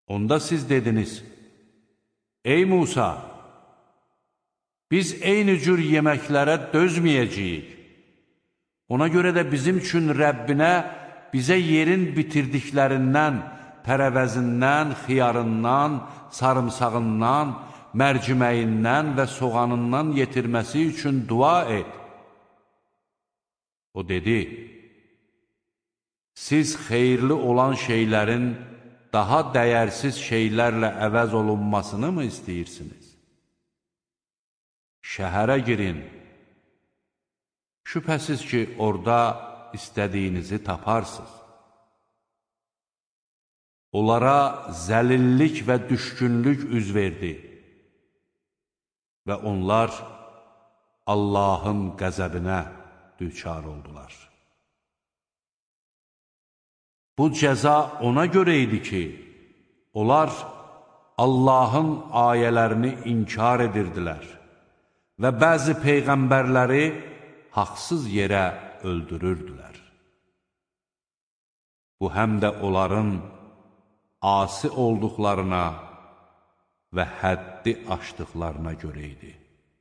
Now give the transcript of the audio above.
Onda siz dediniz, ey Musa, biz eyni cür yeməklərə dözməyəcəyik. Ona görə də bizim üçün Rəbbinə bizə yerin bitirdiklərindən, tərəvəzindən, xiyarından, sarımsağından, mərciməyindən və soğanından yetirməsi üçün dua et. O dedi, siz xeyirli olan şeylərin daha dəyərsiz şeylərlə əvəz olunmasını mı istəyirsiniz? Şəhərə girin. Şübhəsiz ki, orada istədiyinizi taparsınız. Onlara zəlillik və düşkünlük üz verdi və onlar Allahın qəzəbinə düçar oldular. Bu cəza ona görə idi ki, onlar Allahın ayələrini inkar edirdilər və bəzi peyğəmbərləri haqsız yerə öldürürdülər. Bu həm də onların asi olduqlarına və həddi aşdıqlarına görə idi.